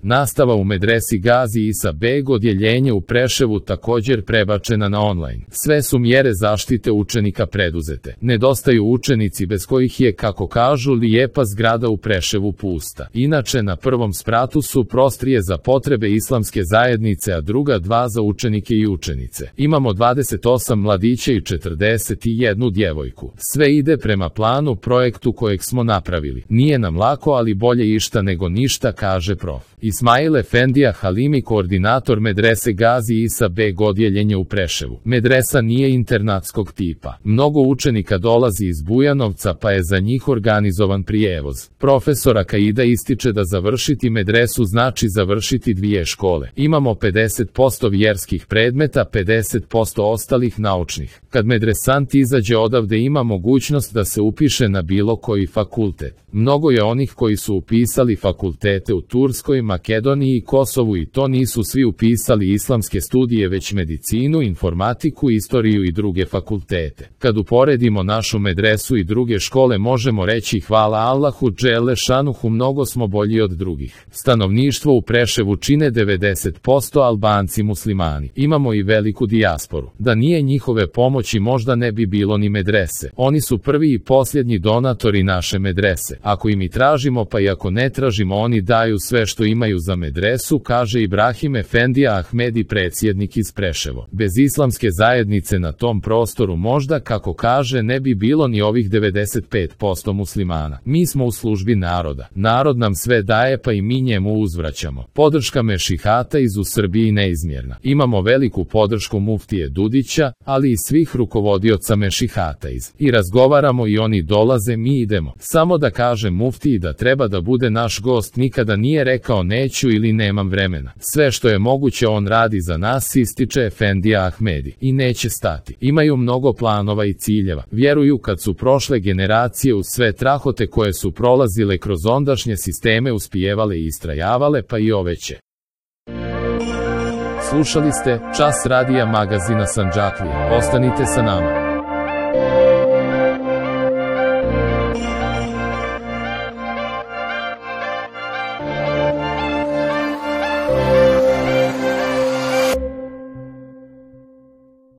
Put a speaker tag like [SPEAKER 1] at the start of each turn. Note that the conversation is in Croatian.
[SPEAKER 1] Nastava u medresi Gazi Isa Beg odjeljenje u Preševu također prebačena na online. Sve su mjere zaštite učenika preduzete. Nedostaju učenici bez kojih je, kako kažu, lijepa zgrada u Preševu pusta. Inače, na prvom spratu su prostorije za potrebe islamske zajednice, a druga dva za učenike i učenice. Imamo 28 mladića i 41 djevojku. Sve ide prema planu, projektu kojeg smo napravili. Nije nam lako, ali bolje išta nego ništa, kaže prof. Ismail Efendija Halimi, koordinator medrese Gazi Isa Beg odjeljenje u Preševu. Medresa nije internatskog tipa. Mnogo učenika dolazi iz Bujanovca, pa je za njih organizovan prijevoz. Profesora Kaida ističe da završiti medresu znači završiti 2 škole. Imamo 50% vjerskih predmeta, 50% ostalih naučnih. Kad medresant izađe odavde ima mogućnost da se upiše na bilo koji fakultet. Mnogo je onih koji su upisali fakultete u Turskoj, Makedoniji i Kosovu i to nisu svi upisali islamske studije već medicinu, informatiku, istoriju i druge fakultete. Kad uporedimo našu medresu i druge škole možemo reći hvala Allahu dželle šanuhu, mnogo smo bolji od drugih. Stanovništvo u Preševu čine 90% Albanci muslimani. Imamo i veliku dijasporu. Da nije njihove pomoći možda ne bi bilo ni medrese. Oni su prvi i posljednji donatori naše medrese. Ako im i tražimo pa i ako ne tražimo oni daju sve što imaju za medresu, kaže Ibrahim Efendija Ahmedi, predsjednik iz Preševo. Bez islamske zajednice na tom prostoru možda, kako kaže, ne bi bilo ni ovih 95% muslimana. Mi smo u službi naroda. Narod nam sve daje pa i mi njemu uzvraćamo. Podrška mešihata iz u Srbiji neizmjerna. Imamo veliku podršku muftije Dudića, ali i svih rukovodioca mešihata iz. I razgovaramo i oni dolaze, mi idemo. Samo da kaže muftiji da treba da bude naš gost, nikada nije rekao neću ili nemam vremena. Sve što je moguće on radi za nas, ističe Efendija Ahmedi. I neće stati. Imaju mnogo planova i ciljeva. Vjeruju kad su prošle generacije uz sve trahote koje su prolazile kroz ondašnje sisteme uspijevale i istrajavale, pa i ove će. Slušali ste Čas radija magazina Sandžaklija. Ostanite sa nama.